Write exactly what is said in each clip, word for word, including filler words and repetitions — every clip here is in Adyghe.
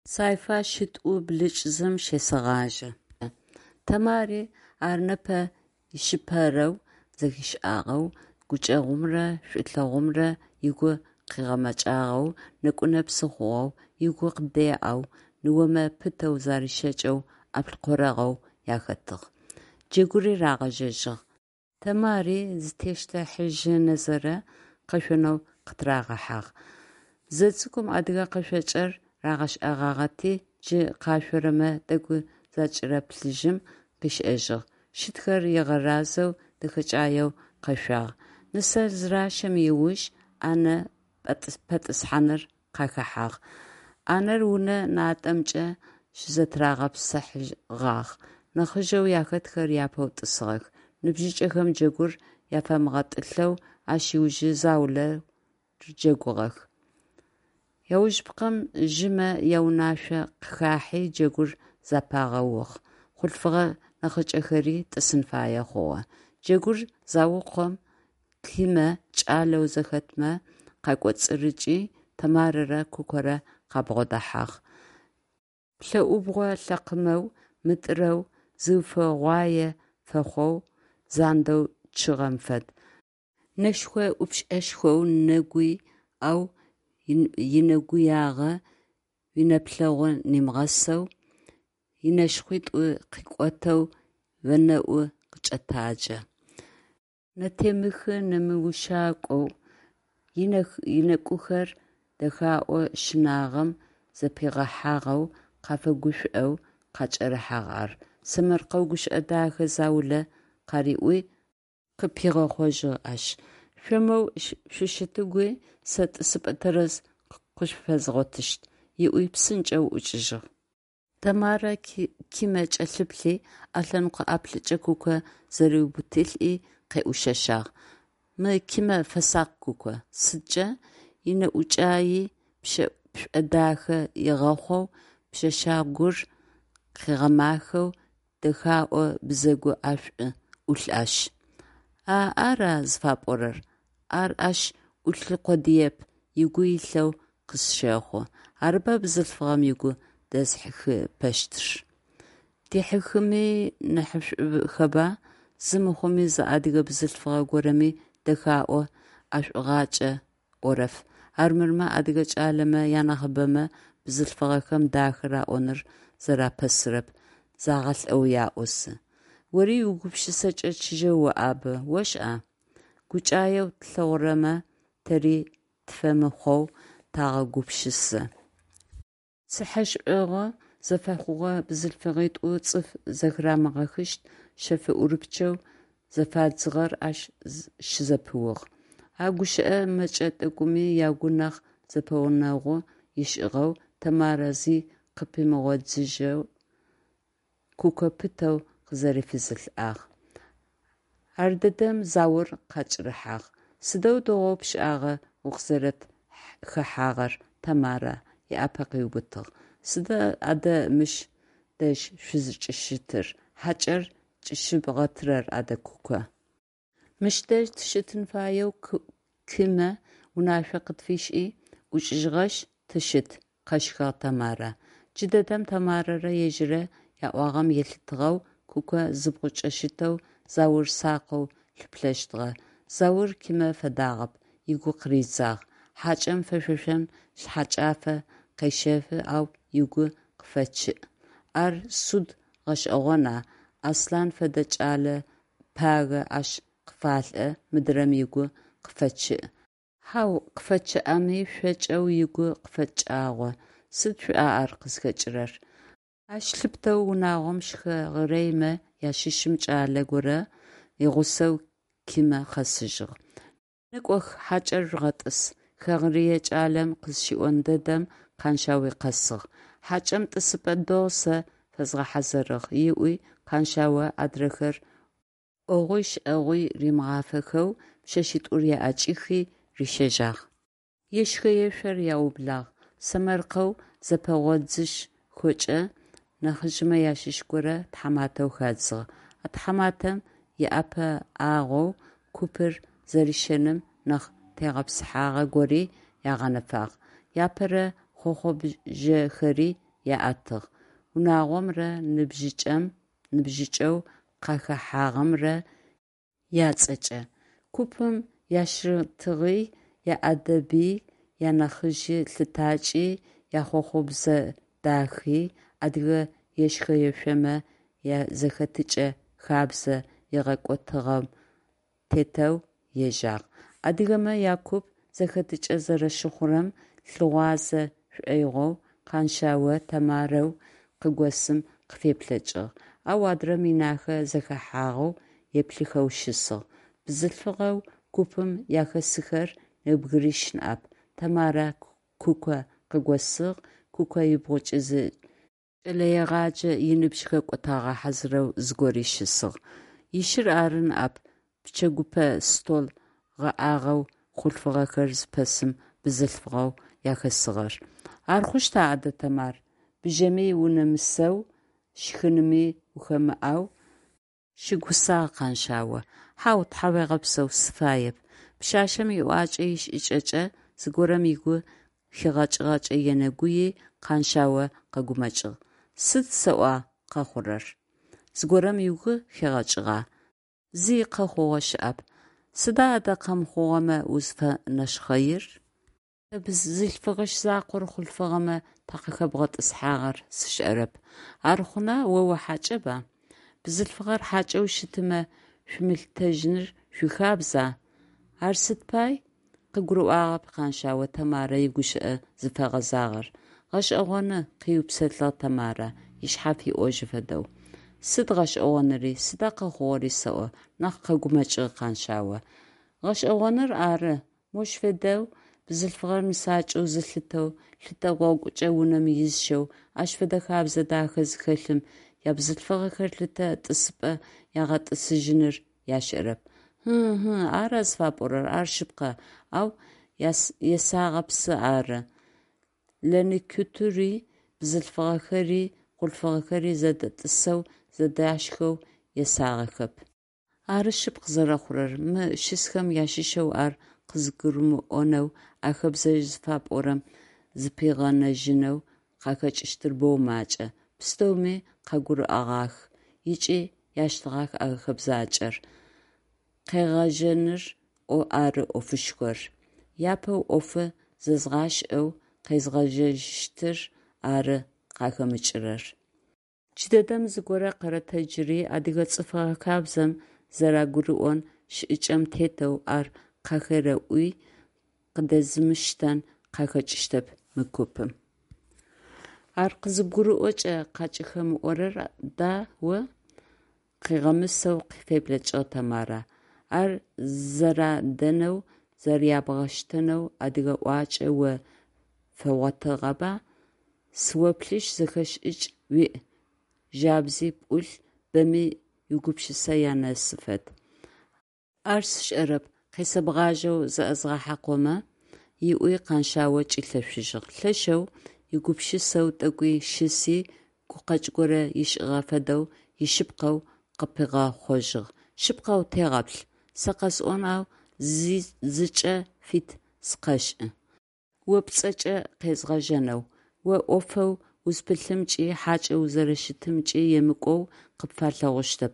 Сайфа шитӏу блыкӏ зым щесэгъажъэ. Тэмари ар непэ ишъыпэрэу зэхишӏагъэу, гукӏэгъумрэ шӏулъэгъумрэ ыгу къыгъэмэкӏагъэу, нэку-нэпсы хъугъэу, ыгу къыдеӏэу, ныомэ пытэу зарищэкӏэу ӏаплӏкъорэгъэу яхэтыгъ. Джэгури рагъэжьэжьыгъ. Тэмари зытещтыхьажьынэзэрэ къэшъонэу къытырагъэхьагъ. Зэцӏыкӏум адыгэ къэшъуакӏэр рагъэшӏэгъагъэти, джы къашъорэмэ тӏэкӏу закӏырэплъыжьым, къышӏэжьыгъ, щытхэр ыгъэразэу дэхэкӏаеу къэшъуагъ. Нысэр зыращэм ыуж ӏанэ пэтӏысхьаныр къахэхьагъ. ӏанэр унэ натӏэмкӏэ щызэтырагъэпсыхьэгъагъ. Нахьыжъэу яхэтхэр япэу тӏысыгъэх. Ныбжьыкӏэхэм джэгур афэмыгъэтӏылъэу ащ ыужи заулэрэ джэгугъэх. Аужыпкъэм жъымэ яунашъо къыхахьи джэгур зэпагъэугъ, хъулъфыгъэ нахьыкӏэхэри тӏысын фае хъугъэ. Джэгур заукъом, Кимэ кӏалэу зэхэтмэ къакӏоцӏырыкӏи Тэмарэрэ Кукорэ къабгъодэхьагъ. Плӏэӏубгъо лъэкъымэу, мытӏырэу, зыуфэгъуае фэхъоу, зандэу чъыгъэм фэд. Нэшхо-ӏупшӏэшхоу, нэгуй, ау инэгуягъэ уинэплъэгъу нимыгъэсэу, ынэшхъуитӏу къикӏотэу уанэӏу къыкӏэтаджэ. Нэтемыхы-нэмыущакӏоу, ынэкӏухэр дэхаӏо щынагъэм зэпигъэхьагъэу къафэгушӏоу къакӏэрыхьагъ ар. Сэмэркъэу гущыӏэ дахэ заулэ къариӏуи, къыпигъэхъожьыгъ ащ: «Шъо моу шъущытыгуи, сэ тӏысыпӏэ тэрэз къышъуфэзгъотыщт», – ыӏуи псынкӏэу ӏукӏыжьыгъ. Тэмарэ Кимэ кӏэлъыплъи, ӏэлъэныкъо ӏаплӏыкӏэ Куко зэриубытылӏи, къеӏушъэшъагъ: «Мы Кимэ фэсакъ, Куко». «Сыдкӏэ?» «Инэӏукӏаи пшӏодахэ игъэхъоу, пшъэшъэгур къыгъэмахэу дэхаӏо бзэгу ӏэшӏу ӏулъ ащ». «А ара зыфапӏорэр? Ар ащ ӏулъы къодыеп, ыгу илъэу къысщэхъу. Арыба бзылъфыгъэм ыгу дэзыхьыхыпэщтыр». «Дихьыхыми нахьышӏухэба? Зы мыхъуми зы адыгэ бзылъфыгъэ горэми дэхаӏо ӏэшӏугъакӏэ ӏорэф. Армырмэ адыгэ кӏалэмэ янахьыбэмэ бзылъфыгъэхэм дахэ раӏоныр зэрапэсырэп, загъэлӏэу яӏозы. Ори уигупшысэкӏэ чыжьэу оӏабэ, ошӏа? Гукӏаеу тлъэгъурэмэ тэри тфэмыхъоу тагъэгупшысэ. Цыхьэшӏэгъу зэфэхъугъэ бзылъфыгъитӏу цӏыф зэхырамыгъэхыщт шъэф ӏурыпчъэу зэфадзыгъэр ащ щызэпыугъ. А гущыӏэ мэкӏэ тӏэкӏуми ягу нахь зэпэгъунэгъу ышӏыгъэу, Тэмарэ зи къыпимыгъодзыжьэу Куко пытэу къызэрифызылӏагъ. Ардэдэм Заур къакӏэрыхьагъ. «Сыдэу дэгъоу пшӏагъэ укъызэрэтхэхьагъэр, Тамара», – ыӏапэ къыубытыгъ. «Сыда адэ мыщ дэжь шъузыкӏыщытыр, хьакӏэр кӏыщыбгъэтырэр адэ, Куко?» «Мыщ дэжь тыщытын фаеу Кимэ унашъо къытфишӏи ӏукӏыжьыгъэшъ, тыщыт», – къэщхыгъ Тэмарэ. Джыдэдэм Тэмарэрэ ежьыррэ яӏуагъэм елъытыгъэу Куко зыбгъукӏэ щытэу Заур сакъэу лъыплъэщтыгъэ. Заур Кимэ фэдагъэп, ыгу къыридзагъ. Хьакӏэм фэшъошэн шъхьэкӏафэ къещэфы, ау ыгу къыфэчъыӏ. Ар суд гъэшӏэгъона, Аслъан фэдэ кӏэлэ пагэ ащ къыфалӏэ, мыдрэм ыгу къыфэчъыӏ. Хьау, къыфэчъыӏэми, шъокӏэу ыгу къыфэкӏагъо. Сыд шъуӏа ар къызхэкӏырэр? Ащ лъыпытэу унагъом щыхэгъырэймэ ащыщым кӏалэ горэ игъусэу Кимэ къэсыжьыгъ. Некӏох, хьакӏэр жъугъэтӏыс, хэгъэрые кӏалэм къызщиӏон дэдэм Къаншъауи къэсыгъ. Хьакӏэм тӏысыпӏэ дэгъу сэ фэзгъэхьазырыгъ, ыӏуи Къаншъао адрэхэр ӏогъуи шӏэгъуи римыгъафэхэу пшъэшъитӏур аӏэкӏихи рищэжьагъ. Ешхэ-ешъор аублагъ. Сэмэркъэу зэпэгъодзыжьхэкӏэ нахьыжъмэ ащыщ горэ тхьаматэу хадзыгъ. А тхьаматэм иӏэпыӏэгъоу купыр зэрищэным нахь тегъэпсыхьагъэ гори агъэнэфагъ. Апэрэ хъохъубжъэхэри аӏэтыгъ, унагъомрэ ныбжьыкӏэу къахэхьагъэмрэ ацӏэкӏэ. Купым ящытыгъи, яӏэдэби, янахьыжъ лъытакӏи, яхъохъубзэ дахи, адыгэ ешхэ-ешъомэ язэхэтыкӏэ хэбзэ игъэкӏотыгъэм тетэу ежьагъ. Адыгэмэ якуп зэхэтыкӏэ зэрэщыхъурэм лъыгъуазэ шӏоигъоу Къаншъао Тэмарэу къыгосым къыфеплъэкӏыгъ, ау адрэм инахэ зэхэхьагъэу еплъыхэу щысыгъ. Бзылъфыгъэу купым яхэсыхэр нэбгырищ ныӏэп: Тэмарэ Куко къыгосыгъ, Куко ыбгъукӏи зы кӏэлэегъаджэ иныбжь хэкӏотагъэ хьазырэу зыгори щысыгъ. Ищыр ары ныӏэп пчэгупэ стол гъэӏагъэу хъулъфыгъэхэр зыпэсым бзылъфыгъэу яхэсыгъэр. Ар хъущта адэ, Тэмар, бжьэми унэмысэу, шхынми ухэмыӏэу? Щыгусагъ Къаншъао. Хьау, тхьауегъэпсэу, сыфаеп. Пшъашъэм иӏуакӏэ ишӏыкӏэкӏэ зыгорэм ыгу хигъэкӏыгъэкӏэ енэгуий, Къаншъао къэгумэкӏыгъ. Сыд сэӏо къэхъурэр? Зыгорэм угу хигъэкӏыгъа? Зи къэхъугъэ щыӏэп. Сыда адэ къэмыхъугъэмэ узыфэнэшхъэир? Тэ бзылъфыгъищ закъор хъулъфыгъэмэ такъыхэбгъэтӏысхьагъэр сшӏэрэп. Ар хъуна, о ухьакӏэба? Бзылъфыгъэр хьакӏэу щытымэ шъумылъытэжьыныр шъуихабза? Ар сыд пай? Къыгурыӏуагъэп Къаншъао Тэмарэ игущыӏэ зыфэгъэзагъэр. Гъэшӏэгъоны, къыупсэлъыгъ Тэмарэ, ышъхьэ фиӏожьы фэдэу. Сыд гъэшӏэгъоныри, сыда къэхъугъэри сэӏо, нахь къэгумэкӏыгъ Къаншъао. Гъэшӏэгъоныр ары, мощ фэдэу бзылъфыгъэр нысакӏэу зылъытэу, лъытэ гъогукӏэ унэм изыщэу, ащ фэдэ хэбзэ дахэ зыхэлъым ябзылъфыгъэхэр лъытэ тӏысыпӏэ ягъэтӏысыжьыныр яшӏэрэп. Ы-ы, ы, ара зыфапӏорэр, ар шъыпкъэ, ау есагъэпсы ары. Лэныкутыри бзылъфыгъэхэри хъулъфыгъэхэри зэдэтӏысэу зэдашхэу есагъэхэп. Ары шъыпкъ зэрэхъурэр, мы щысхэм ащыщэу ар къызгурымыӏонэу, а хэбзэжъ зыфапӏорэм зыпигъэнэжьынэу къахэкӏыщтыр боу макӏэ. Пстэуми къагурыӏогъах ыкӏи яштэгъах а хэбзакӏэр. Къегъэжьэныр ары ӏофышхор. Апэу ӏофы зэзгъашӏэу къезгъэжьэжьыщтыр ары къахэмыкӏырэр. Джыдэдэм зыгорэ къэрэтэджыри адыгэ цӏыфыгъэ хабзэм зэрэгурыӏон шӏыкӏэм тетэу ар къахерэӏуи, къыдэзымыштэн къахэкӏыщтэп мы купым. Ар къызыбгурыӏокӏэ къакӏыхэмыӏорэр да о? Къыгъэмысэу феплъэкӏыгъ Тэмарэ. Ар зэрадэнэу, зэрябгъэштэнэу адыгэ ӏуакӏэ о фэгъотыгъэба? Сыоплъышъ, зэхэшӏыкӏ уиӏ, жабзи пӏулъ, бэми уигупшысэ янэсы фэд. Ар сшӏэрэп, къесэбгъажьэу зэӏэзгъэхьакъомэ, ыӏуи Къаншъао кӏилъэшъужьыгъ. Лъэшэу егупшысэу тӏэкӏуи щыси, гукъэкӏ горэ ышӏыгъэ фэдэу ишъыпкъэу къыпигъэхъожьыгъ: Шъыпкъэу тегъэплъ. Сэ къэсӏон, ау зыкӏэ фит сыкъэшӏы. О пцӏэкӏэ къезгъэжьэнэу. О ӏофэу узпылъымкӏи, хьакӏэу узэрэщытымкӏи емыкӏоу къыпфалъэгъущтэп.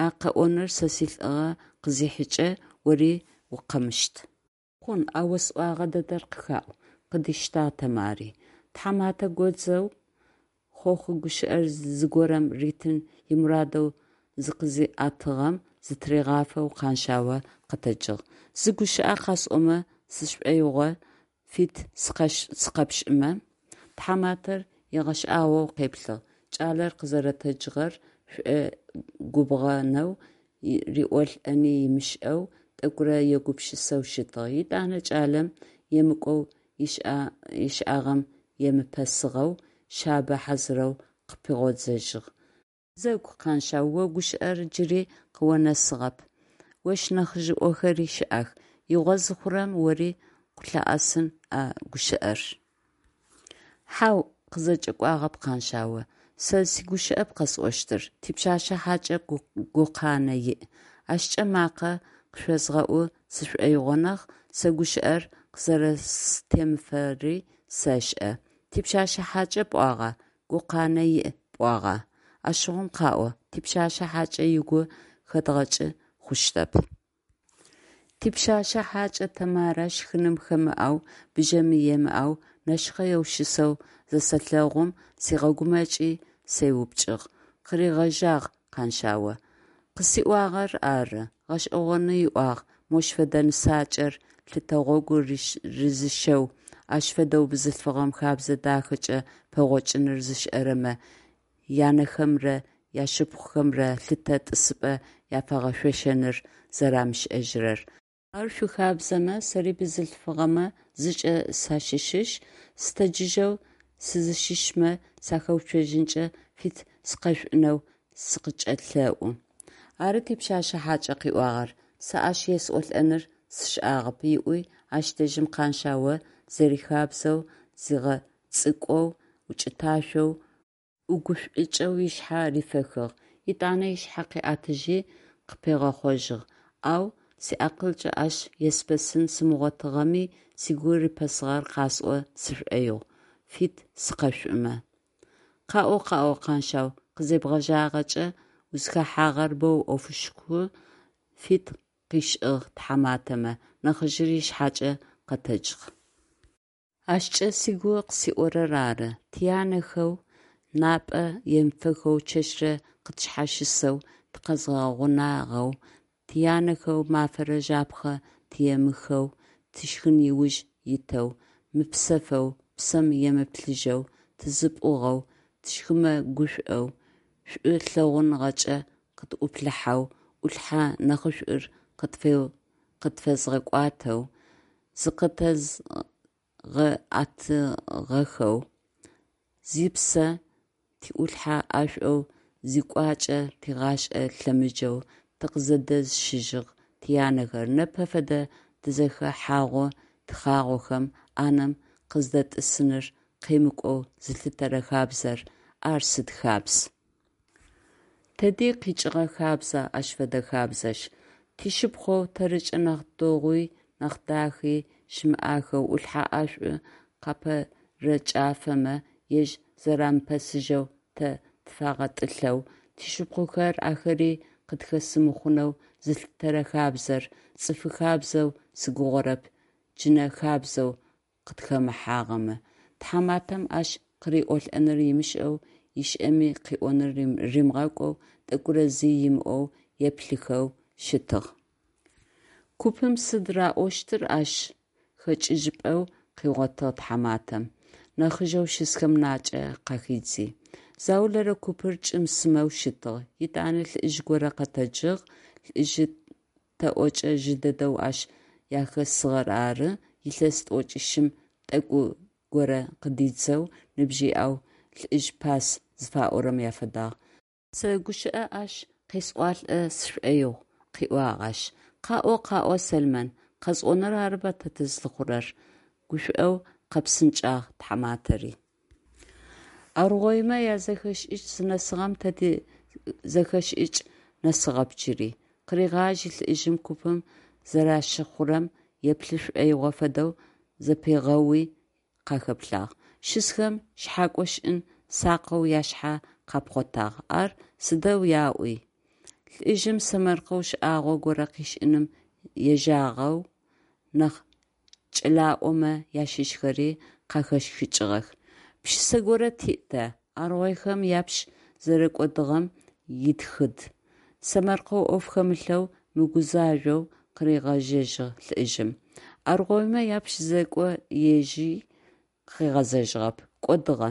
А къэӏоныр сэ силӏыгъэ къызихьыкӏэ, ори укъэмыщт. Хъун, а осӏогъэ дэдэр къыхаӏу, къыдиштагъ Тэмари. Тхьаматэ годзэу хъохъу гущыӏэр зыгорэм ритын имурадэу зыкъызиӏэтыгъэм зытыригъафэу Къаншъао къэтэджыгъ: -Зы гущыӏэ къасӏомэ сшӏоигъу фит сыкъэпшӏымэ? Тхьаматэр ыгъэшӏагъоу къеплъыгъ, кӏалэр къызэрэтэджыгъэр шӏогубгъэнэу риӏолӏэни ымышӏэу, тӏэкӏурэ егупшысэу щытыгъ, етӏанэ кӏалэм емыкӏоу ышӏагъэм емыпэсыгъэу, шъабэ хьазырэу къыпигъодзыжьыгъ: Бзэгу, Къаншъау, о гущыӏэр джыри къыонэсыгъэп, ощ нахьыжъыӏохэри щыӏэх, игъо зыхъурэм ори къыплъыӏэсын а гущыӏэр. Хьау, къызэкӏэкӏуагъэп Къаншъао, сэ сигущыӏэп къэсӏощтыр, типшъашъэ хьакӏэ гукъанэ иӏ. Ащкӏэ макъэ къышъозгъэӏу сшӏоигъу нахь, сэ гущыӏэр къызэрэстемыфэри сэшӏэ. Типшъашъэ хьакӏэ пӏуагъа? Гукъанэ иӏ пӏуагъа? Ащыгъум къаӏо, типшъашъэ хьакӏэ ыгу хэдгъэкӏы хъущтэп. Типшъэшъэ хьакӏэ Тэмарэ щхыным хэмыӏэу, бжьэми емыӏэу, нэшхъэеу щысэу зысэлъэгъум, сигъэгумэкӏи сеупчӏыгъ, – къыригъэжьагъ Къаншъао. Къысиӏуагъэр ары. Гъэшӏэгъоны ыӏуагъ мощ фэдэ нысакӏэр лъытэ гъогу рызыщэу, ащ фэдэу бзылъфыгъэм хэбзэ дахэкӏэ пэгъокӏыныр зышӏэрэмэ янэхэмрэ яшыпхъухэмрэ лъытэ тӏысыпӏэ яфэгъэшъошэныр зэрамышӏэжьырэр. Ар шъуихабзэмэ, сэри бзылъфыгъэмэ зыкӏэ сащыщышъ, сытэджыжьэу сызыщыщмэ сахэуцожьынкӏэ фит сыкъэшъушӏынэу сыкъыкӏэлъэӏу. Ары типшъэшъэ хьакӏэ къыӏуагъэр, сэ ащ есӏолӏэныр сшӏагъэп, – ыӏуи, ащ дэжьым Къаншъао зэрихабзэу зигъэцӏыкӏоу, укӏыташъоу ӏугушӏукӏэу ышъхьэ рифэхыгъ, етӏанэ ышъхьэ къыӏэтыжьи, къыпигъэхъожьыгъ: Ау сиакъылкӏэ ащ еспэсын сымыгъотыгъэми, сыгу рипэсыгъэр къасӏо сшӏоигъу, фит сыкъэшъушӏымэ. Къаӏо, къаӏо, Къаншъау, къызебгъэжьагъэкӏэ, узхэхьагъэр боу ӏофышху, фит къишӏыгъ тхьаматэмэ, нахьыжъыр ышъхьэкӏэ къэтэджыгъ. Ащкӏэ сыгу къысиӏорэр ары: тянэхэу напӏэ емыфэхэу чэщрэ къытшъхьащысэу тыкъэзгъэгъунагъэу, тянэхэу мафэрэ жапхъэ тыемыхэу тишхын ыуж итэу, мыпсэфэу, псэм емыплъыжьэу тызыпӏугъэу, тщхымэ гушӏоу, шӏу лъэгъуныгъэкӏэ къытӏуплъыхьэу, ӏулъхьэ нахьышӏур къытфэзгъэкӏуатэу, зыкъытэзгъэӏэтыгъэхэу, зыпсэ тиӏулъхьэ ӏэшӏоу, зыкӏуачӏэ тигъашӏэ лъэмыджэу тыкъызэдэзыщыгъ тянэхэр непэ фэдэ тизэхэхьагъу-тхъагъохэм ӏанэм къыздэтӏысыныр къемыкӏоу зылъытэрэ хабзэр ар сыд хабз! Тэди къикӏыгъэ хабза ащ фэдэ хабзэжъ! Тишыпхъоу, тэрыкӏэ нахь дэгъуи нахь дахи щымыӏахэу ӏулъхьэ ӏэшӏу къапэрэкӏафэмэ, ежь зэрамыпэсыжьэу тэ тфагъэтӏылъэу, тшыпхъухэр ахэри къытхэсы мыхъунэу зылъытэрэ хабзэр цӏыфы хабзэу сыгугъэрэп, джынэ хабзэу къытхэмыхьагъэмэ! Тхьаматэм ащ къыриӏолӏэныр ымышӏэу, ышӏэми къыӏоныр римыгъэкӏоу тӏэкӏурэ зи имыӏоу еплъыхэу щытыгъ. Купым сыд раӏощтыр ащ, хэкӏыжьыпӏэу къыгъотыгъ тхьаматэм, нахьыжъэу щысхэм накӏэ къахидзи. Заулэрэ купыр кӏым-сымэу щытыгъ. Етӏанэ лӏыжъ горэ къэтэджыгъ, лӏыжъы тэӏокӏэ жъы дэдэу ащ яхэсыгъэр ары, илъэс тӏокӏищым тӏэкӏу горэ къыдидзэу ныбжь иӏэу лӏыжъ пас зыфаӏорэм афэдагъ. Сэ гущыӏэ ащ къесӏуалӏэ сшӏоигъу, – къыӏуагъ ащ. Къаӏо, къаӏо, Сэлмэн, къэсӏоныр арыба тэ тызлъыхъурэр, – гушӏоу къэпсынкӏагъ тхьаматэри. Аргъоймэ язэхэшӏыкӏ зынэсыгъэм тэ тизэхэшӏыкӏ нэсыгъэп джыри, – къыригъажьи лӏыжъым, купым зэращыхъурэм еплъы шӏоигъо фэдэу зэпигъэуи къахэплъагъ. Щысхэм шъхьакӏо шӏын сакъэу ашъхьэ къапхъотагъ: «Ар сыдэу яӏуи?!» Лӏыжъым сэмэркъэу шӏагъо горэ къышӏыным ежагъэу нахь кӏэлаӏомэ ащыщхэри къахэщхыкӏыгъэх. Пшысэ горэ тиӏ тэ, аргъойхэм япщ зэрэкӏодыгъэм итхыд, – сэмэркъэу ӏоф хэмылъэу, мыгузажъоу къыригъэжьэжьыгъ лӏыжъым. Аргъоймэ япщ зекӏо ежьи къыгъэзэжьыгъэп, кӏодыгъэ.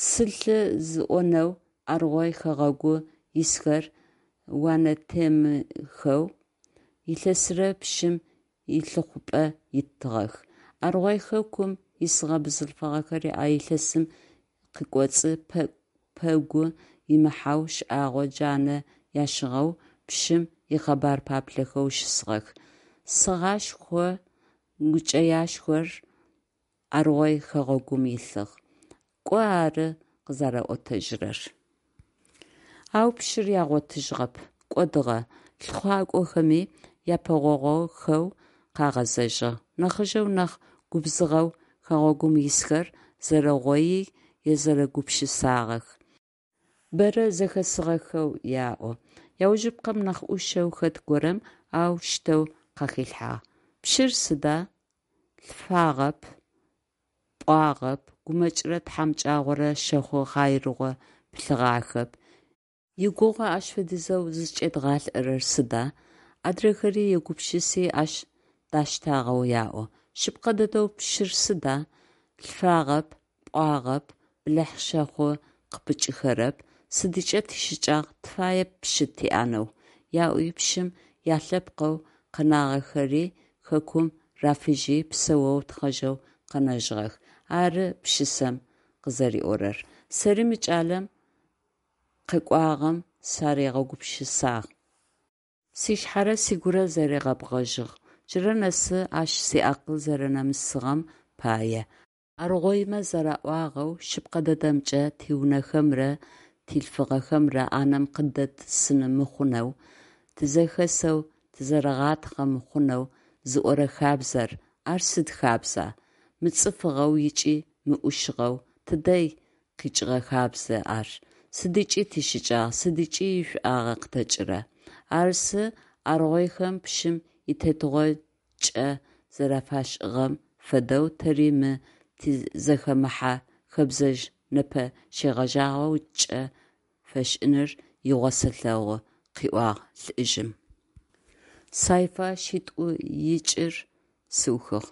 Сылъы зыӏонэу Аргъой хэгъэгу исхэр уанэтемыхэу илъэсырэ пщым илъыхъупӏэ итыгъэх. Аргъой хэкум исыгъэ бзылъфыгъэхэри а илъэсым къыкӏоцӏ пэгу имыхьэу шӏагъо джанэ ящыгъэу пщым икъэбар паплъэхэу щысыгъэх. Сэгъашхо гукӏэяшхор Аргъой хэгъэгум илъыгъ. Кӏо ары къызэраӏотэжьырэр. Ау пщыр ягъотыжьыгъэп, кӏодыгъэ, лъыхъуакӏохэми япэгъогъохэу къагъэзэжьыгъ. Нахьыжъэу, нахь губзыгъэу хэгъэгум исхэр зэрэгъоий езэрэгупшысагъэх. Бэрэ зэхэсыгъэхэу яӏо. Аужыпкъэм нахь ӏушэу хэт горэм аущтэу къахилъхьагъ: Пщыр сыда? Лъфагъэп, пӏуагъэп, гумэкӏрэ тхьамыкӏагъорэ щэхъу хъаирыгъо пылъыгъахэп. Игугъу ащ фэдизэу зыкӏедгъалӏэрэр сыда? Адрэхэри егупшыси ащ даштагъэу яӏо. Шъыпкъэ дэдэу пщыр сыда? Лъфагъэп, пӏуагъэп, бэлахь-щэхъу къыпыкӏыхэрэп. Сыдыкӏэ тищыкӏагъ, тыфаеп пщы тиӏэнэу, яӏуи пщым ялъэпкъэу къэнагъэхэри хэкум рафыжьи псэоу тхъэжьэу къэнэжьыгъэх, ары пшысэм къызэриӏорэр. Сэри мы кӏалэм къекӏуагъэм саригъэгупшысагъ. Сшъхьэрэ сыгурэ зэригъэбгъэжьыгъ, джырэ нэсы ащ сиакъыл зэрэнэмысыгъэм пае. Аргъоймэ зэраӏуагъэу, шъыпкъэ дэдэмкӏэ, тиунэхэмрэ тилъфыгъэхэмрэ ӏанэм къыддэтӏысыны мыхъунэу, тызэхэсэу тызэрэгъатхъэ мыхъунэу зыӏорэ хабзэр, ар сыд хабза? Мыцӏыфыгъэу ыкӏи мыӏушыгъэу тыдэ къикӏыгъэ хабза ар? Сыдыкӏи тищыкӏагъ, сыдыкӏи ишӏуагъэ къытэкӏыра? Арысы аргъойхэм пщым итетыгъо кӏэ зэрэфашӏыгъэм фэдэу, тэри мы тизэхэмыхьэ хэбзэжъ непэ щегъэжьагъэу кӏэ фэшӏыныр игъо сэлъэгъу, – къыӏуагъ лӏыжъым. Сайфа шитӏу икӏыр сыухыгъ.